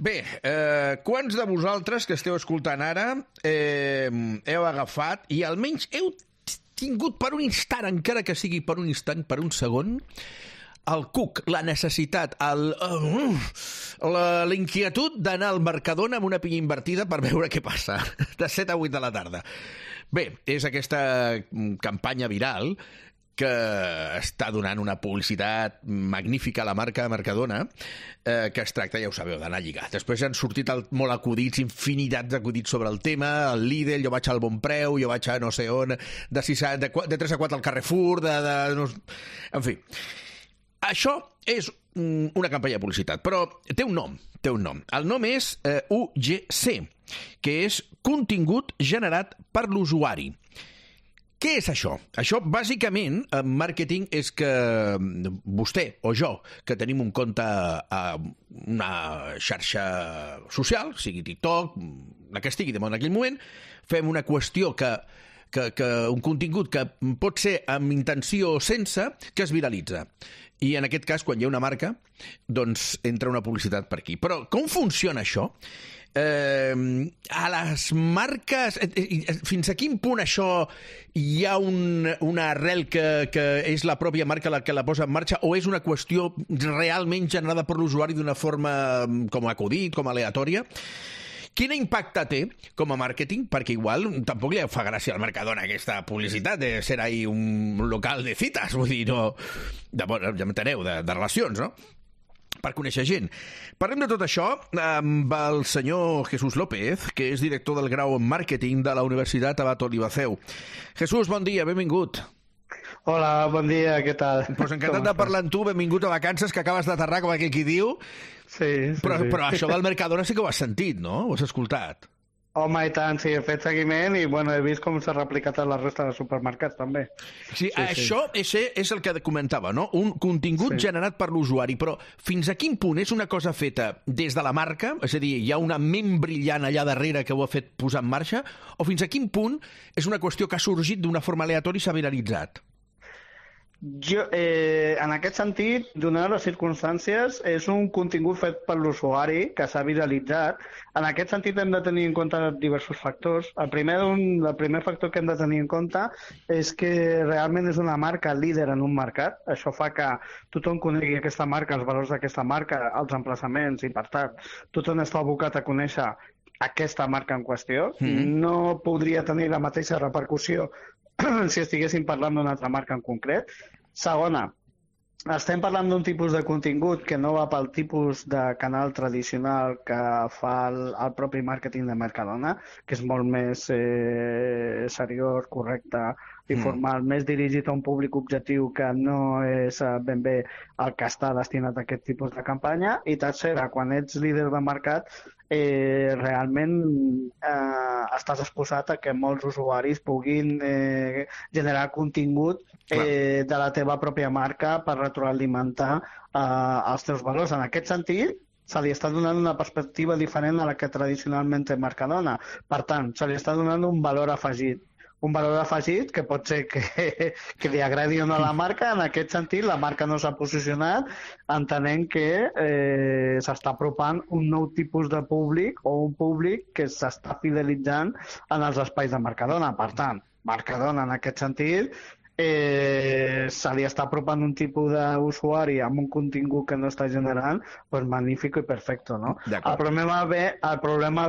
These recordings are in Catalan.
Bé, quants de vosaltres que esteu escoltant ara heu agafat i almenys heu tingut per un instant, encara que sigui per un instant, per un segon, el cuc, la necessitat, la inquietud d'anar al Mercadona amb una pinya invertida per veure què passa, de 7 a 8 de la tarda. Bé, és aquesta campanya viral que està donant una publicitat magnífica a la marca Mercadona, que es tracta, ja ho sabeu, d'anar a lligar. Després han sortit molt acudits, infinitats d'acudits sobre el tema, el Lidl, jo vaig al Bon Preu, jo vaig a no sé on, de 3 a 4 al Carrefour, en fi. Això és una campanya de publicitat, però té un nom. El nom és UGC, que és contingut generat per l'usuari. Què és això? Això, bàsicament, en màrqueting és que vostè o jo, que tenim un compte a una xarxa social, sigui TikTok, la que estigui de moda en aquell moment, fem una qüestió un contingut que pot ser amb intenció o sense, que es viralitza. I en aquest cas, quan hi ha una marca, doncs entra una publicitat per aquí. Però com funciona això? A les marques, fins a quin punt això hi ha una arrel que és la pròpia marca la que la posa en marxa, o és una qüestió realment generada per l'usuari d'una forma com acudit, com aleatòria? Quin impacte té com a màrqueting? Perquè igual tampoc li fa gràcia al Mercadona aquesta publicitat de ser ahí un local de cites, vull dir, no, ja m'enteneu, de relacions, no? Per conèixer gent. Parlem de tot això amb el senyor Jesús López, que és director del grau en màrqueting de la Universitat Abat Olivaceu. Jesús, bon dia, benvingut. Hola, bon dia, què tal? Pues encantat de parlar amb tu, benvingut a vacances, que acabes d'aterrar, com aquell qui diu. Sí. Però això del Mercadona sí que ho has sentit, no? Ho has escoltat? Home, i tant, sí, he fet seguiment i he vist com s'ha replicat a la resta de supermercats, també. Sí, això és el que comentava, no? Un contingut generat per l'usuari, però fins a quin punt és una cosa feta des de la marca, és a dir, hi ha una ment brillant allà darrere que ho ha fet posar en marxa, o fins a quin punt és una qüestió que ha sorgit d'una forma aleatòria i s'ha viralitzat? Jo, en aquest sentit, donades les circumstàncies, és un contingut fet per l'usuari que s'ha viralitzat. En aquest sentit hem de tenir en compte diversos factors. El primer factor que hem de tenir en compte és que realment és una marca líder en un mercat. Això fa que tothom conegui aquesta marca, els valors d'aquesta marca, els emplaçaments, i per tant tothom està abocat a conèixer aquesta marca en qüestió. No podria tenir la mateixa repercussió si estiguéssim parlant d'una altra marca en concret. Segona, estem parlant d'un tipus de contingut que no va pel tipus de canal tradicional que fa el propi màrqueting de Mercadona, que és molt més seriós, correcte i formal, més dirigit a un públic objectiu que no és ben bé el que està destinat a aquest tipus de campanya. I tercera, quan ets líder de mercat, realment estàs exposat a que molts usuaris puguin generar contingut de la teva pròpia marca per retroalimentar els teus valors. En aquest sentit, se li està donant una perspectiva diferent a la que tradicionalment té Mercadona. Per tant, se li està donant un valor afegit. Un valor afegit que pot ser que li agradi o no a la marca. En aquest sentit, la marca no s'ha posicionat entenent que s'està apropant un nou tipus de públic o un públic que s'està fidelitzant en els espais de Mercadona. Per tant, Mercadona en aquest sentit se li està apropant un tipus d'usuari amb un contingut que no està generant, doncs magnífic i perfecte, no? El problema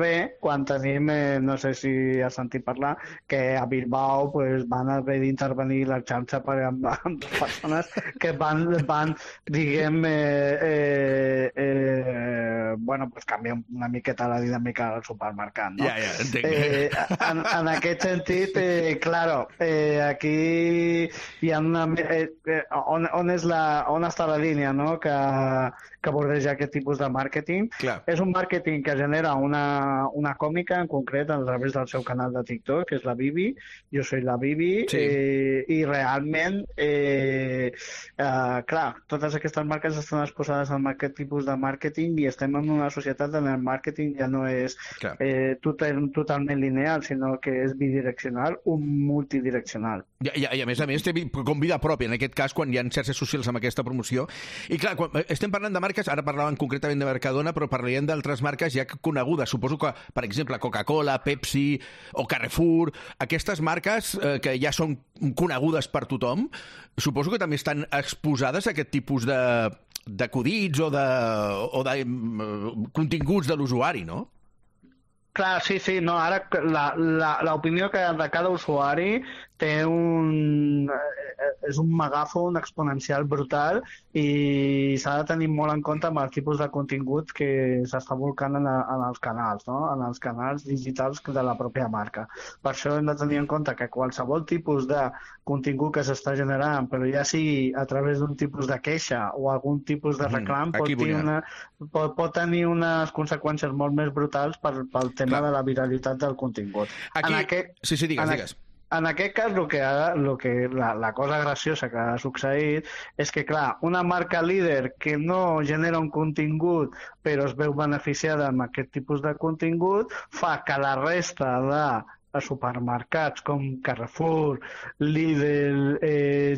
ve quan tenim, no sé si has sentit parlar, que a Bilbao van haver d'intervenir la xarxa amb persones que van diguem, canviar una miqueta la dinàmica del supermercat, no? Ja, entenc. En aquest sentit, aquí hi ha on està la línia, no? que bordeja aquest tipus de màrqueting. Clar. És un màrqueting que genera una còmica en concret a través del seu canal de TikTok, que és la Bibi. Jo soy la Bibi. Sí. I realment clar, totes aquestes marques estan exposades a aquest tipus de màrqueting i estem en una societat on el màrqueting ja no és totalment lineal, sinó que és bidireccional o multidireccional. I a més, té com vida pròpia, en aquest cas, quan hi ha xarxes socials amb aquesta promoció. I clar, quan estem parlant de marques, ara parlàvem concretament de Mercadona, però parlaríem d'altres marques ja conegudes. Suposo que, per exemple, Coca-Cola, Pepsi o Carrefour, aquestes marques que ja són conegudes per tothom, suposo que també estan exposades a aquest tipus d'acudits o de continguts de l'usuari, no? Clar, sí, no, ara l'opinió de cada usuari és un megàfon exponencial brutal i s'ha de tenir molt en compte amb el tipus de contingut que s'està volcant en els canals, no? En els canals digitals de la pròpia marca. Per això hem de tenir en compte que qualsevol tipus de contingut que s'està generant, però ja sigui a través d'un tipus de queixa o algun tipus de reclam, pot tenir unes conseqüències molt més brutals pel tema de la viralitat del contingut. Sí, digues. En aquest cas, la cosa graciosa que ha succeït és que, clar, una marca líder que no genera un contingut però es veu beneficiada amb aquest tipus de contingut fa que la resta de supermercats com Carrefour, Lidl,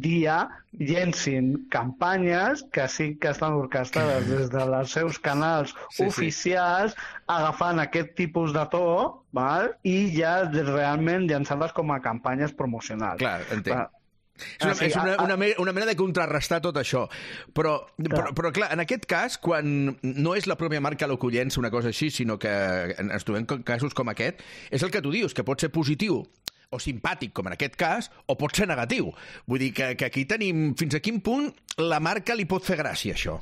Dia, llencin campanyes que sí que estan orquestades des dels seus canals oficials, agafant aquest tipus de to, val? I ja realment llançant-les com a campanyes promocionals. Clar, entenc. És una manera de contrarrestar tot això. Però clar, en aquest cas, quan no és la pròpia marca el que ho llença una cosa així, sinó que ens trobem casos com aquest, és el que tu dius, que pot ser positiu o simpàtic, com en aquest cas, o pot ser negatiu. Vull dir que aquí tenim fins a quin punt la marca li pot fer gràcia, això.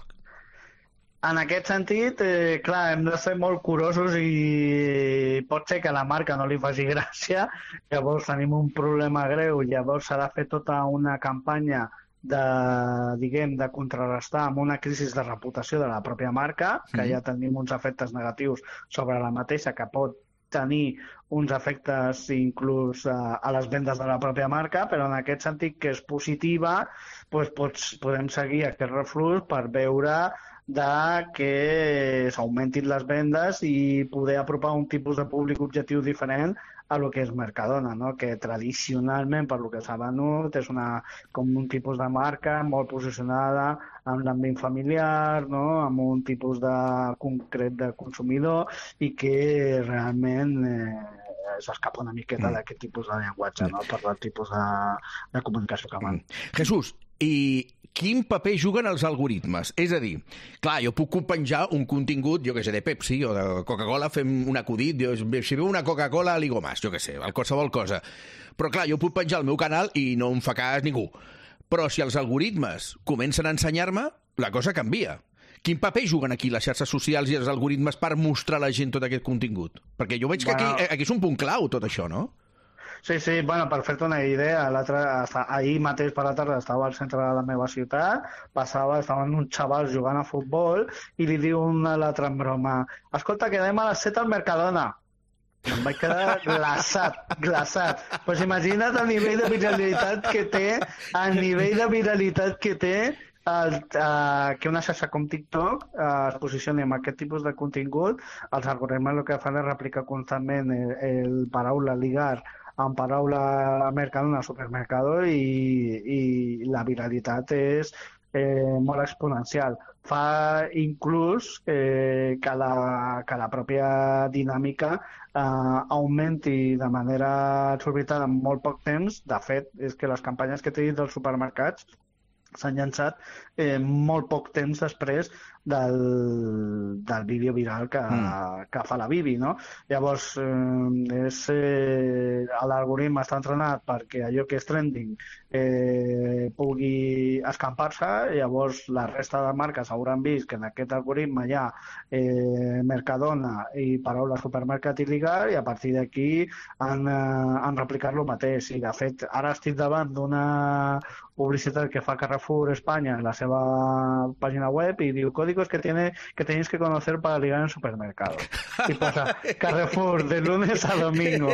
En aquest sentit, clar, hem de ser molt curosos i pot ser que a la marca no li faci gràcia, llavors tenim un problema greu, llavors s'ha de fer tota una campanya de contrarrestar amb una crisi de reputació de la pròpia marca, que ja tenim uns efectes negatius sobre la mateixa, que pot tenir uns efectes inclús a les vendes de la pròpia marca, però en aquest sentit que és positiva, podem seguir aquest reflux per veure que s'augmentin les vendes i poder apropar un tipus de públic objectiu diferent a lo que és Mercadona, no? Que tradicionalment, per lo que s'ha venut, és com un tipus de marca molt posicionada en l'àmbit familiar, no? Amb un tipus concret de consumidor i que realment s'escapa una miqueta d'aquest tipus de llenguatge, no? Per el tipus de comunicació que van. Jesús, i quin paper juguen els algoritmes? És a dir, clar, jo puc penjar un contingut, jo què sé, de Pepsi o de Coca-Cola, fem un acudit, si veu una Coca-Cola, ligo más, jo què sé, qualsevol cosa. Però clar, jo puc penjar al meu canal i no em fa cas ningú. Però si els algoritmes comencen a ensenyar-me, la cosa canvia. Quin paper juguen aquí les xarxes socials i els algoritmes per mostrar a la gent tot aquest contingut? Perquè jo veig que aquí és un punt clau, tot això, no? Sí, bueno, per fer-te una idea, ahir mateix per la tarda estava al centre de la meva ciutat, estaven uns xavals jugant a futbol i li diu un a l'altre en broma: escolta, quedem a les 7 al Mercadona. Em vaig quedar glaçat. Pues imagina't el nivell de viralitat que té, que una xarxa com TikTok es posicioni amb aquest tipus de contingut. Els algoritmes el que fan és replicar constantment el paraula ligar amb paraula Mercadona, supermercado, i la viralitat és molt exponencial. Fa inclús que la pròpia dinàmica augmenti de manera exorbitant en molt poc temps. De fet, és que les campanyes que t'he dit dels supermercats s'han llançat molt poc temps després del vídeo viral que fa la Bibi, no? Llavors, l'algoritme està entrenat perquè allò que és trending pugui escampar-se, llavors la resta de marques hauran vist que en aquest algoritme hi ha Mercadona i paraula supermercat i ligar, i a partir d'aquí han replicat el mateix. I de fet, ara estic davant d'una publicitat que fa Carrefour España en la seva pàgina web i diu códigos que tenéis que conocer para ligar en supermercado. Y posa Carrefour de lunes a domingo,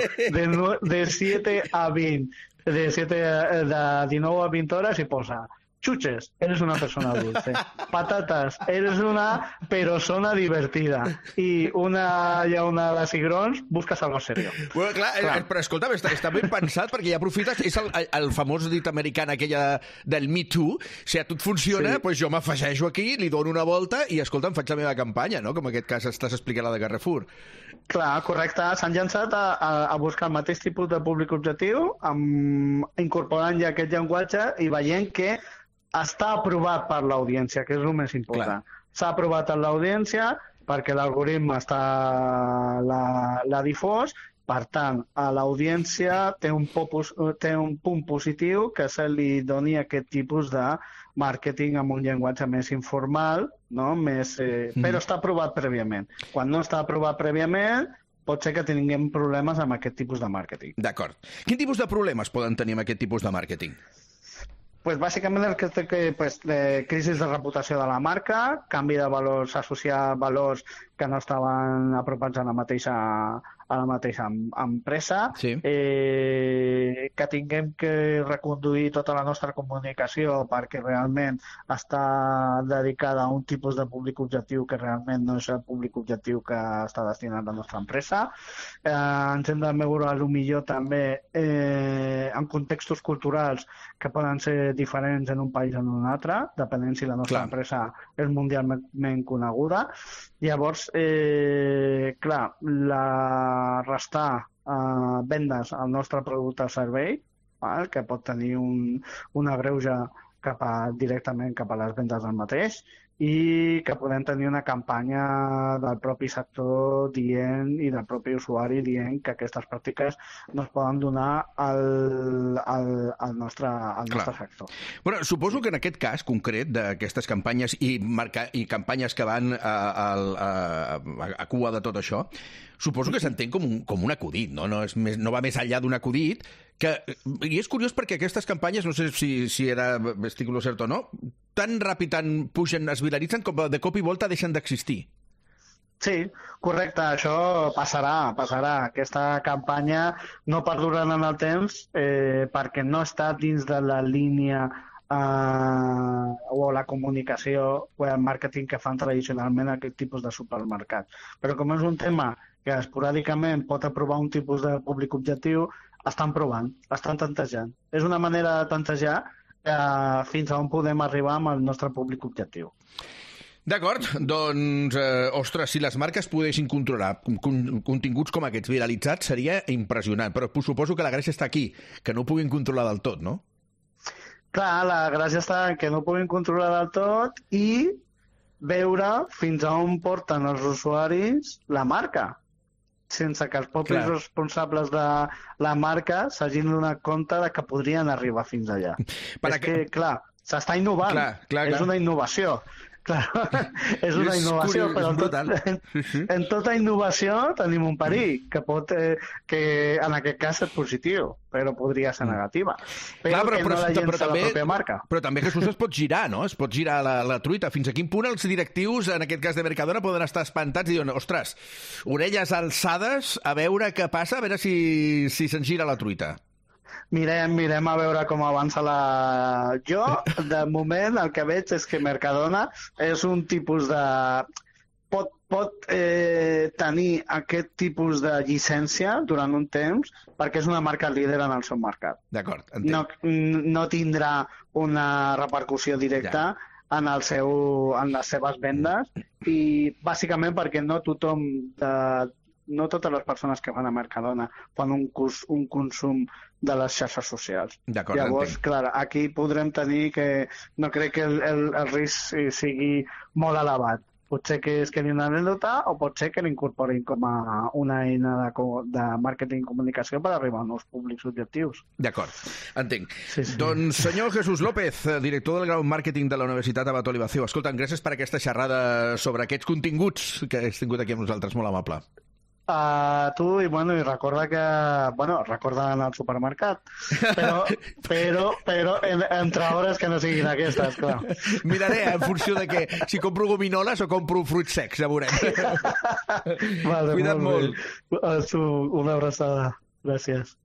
de 7 a 20, de 19 a 20 hores, i posa Chuches, eres una persona dulce. Patates, eres una persona divertida. I una llaunada de cigrons, busques algo serio. Bueno, clar. Però escolta'm, està ben pensat perquè ja aprofites, és el famós dit americana aquella del Me Too, si a tu et funciona, doncs jo m'afegeixo aquí, li dono una volta i, escolta, em faig la meva campanya, no? Com en aquest cas estàs explicant la de Carrefour. Clar, correcte. S'han llançat a buscar el mateix tipus de públic objectiu, incorporant ja aquest llenguatge i veient que està aprovat per l'audiència, que és el més important. S'ha aprovat per l'audiència perquè l'algoritme l'ha difós, per tant, a l'audiència té un punt positiu que se li doni aquest tipus de màrqueting amb un llenguatge més informal, no? Però està aprovat prèviament. Quan no està aprovat prèviament, pot ser que tinguem problemes amb aquest tipus de màrqueting. D'acord. Quin tipus de problemes poden tenir amb aquest tipus de màrqueting? Pues bàsicament el que té crisi de reputació de la marca, canvi de valors, associar valors que no estaven apropats a la mateixa empresa, que tinguem que reconduir tota la nostra comunicació perquè realment està dedicada a un tipus de públic objectiu que realment no és el públic objectiu que està destinat a la nostra empresa. Ens hem de veure millor també en contextos culturals que poden ser diferents en un país o en un altre, depenent si la nostra empresa és mundialment coneguda. Llavors, restar vendes al nostre producte o servei, que pot tenir un agreuge directament cap a les vendes del mateix, i que podem tenir una campanya del propi sector i del propi usuari dient que aquestes pràctiques no es poden donar al nostre sector. Bueno, suposo que en aquest cas concret d'aquestes campanyes i campanyes que van a cua de tot això, suposo que s'entén com un acudit, no? No va més enllà d'un acudit, i és curiós perquè aquestes campanyes, no sé si estic lo cert o no, tan ràpid, tan pugen, es viralitzen, com de cop i volta deixen d'existir. Sí, correcte, això passarà. Aquesta campanya no perdurarà en el temps perquè no està dins de la línia o la comunicació o el màrqueting que fan tradicionalment aquest tipus de supermercats. Però com és un tema que esporàdicament pot aprovar un tipus de públic objectiu, estan provant, estan tantejant. És una manera de tantejar fins a on podem arribar amb el nostre públic objectiu. D'acord, doncs, ostres, si les marques poguessin controlar continguts com aquests viralitzats seria impressionant, però suposo que la gràcia està aquí, que no ho puguin controlar del tot, no? Clar, la gràcia està en que no ho puguin controlar del tot i veure fins a on porten els usuaris la marca, sense que els propis responsables de la marca s'hagin donat compte de que podrien arribar fins allà. Que, clar, s'està innovant. És una innovació. Clar, és una innovació, però en tota innovació tenim un perill, que en aquest cas és positiu, però podria ser negativa. Però que no la llença la pròpia marca. Però també, Jesús, es pot girar, no? Es pot girar la truita. Fins a quin punt els directius, en aquest cas de Mercadona, poden estar espantats i diuen, ostres, orelles alçades, a veure què passa, a veure si se'n gira la truita. Mirem a veure com avança Jo, de moment, el que veig és que Mercadona és un tipus de... Pot tenir aquest tipus de llicència durant un temps perquè és una marca líder en el seu mercat. D'acord, entenc. No tindrà una repercussió directa en les seves vendes i bàsicament perquè no totes les persones que van a Mercadona fan un consum de les xarxes socials. Llavors, clar, aquí podrem tenir que no crec que el risc sigui molt elevat. Potser que es quedi una anècdota o pot ser que l'incorporin com a una eina de màrqueting i comunicació per arribar a nous públics objectius. D'acord, entenc. Doncs, senyor Jesús López, director del grau Màrqueting de la Universitat Abat Olivació, escolta'm, gràcies per aquesta xerrada sobre aquests continguts que has tingut aquí amb nosaltres, molt amable. Tu, i recorda que... recorda anar al supermercat, però entre hores que no siguin aquestes, clar. Miraré en funció de què, si compro gominoles o compro fruits secs, ja veurem. Cuida't molt. Una abraçada. Gràcies.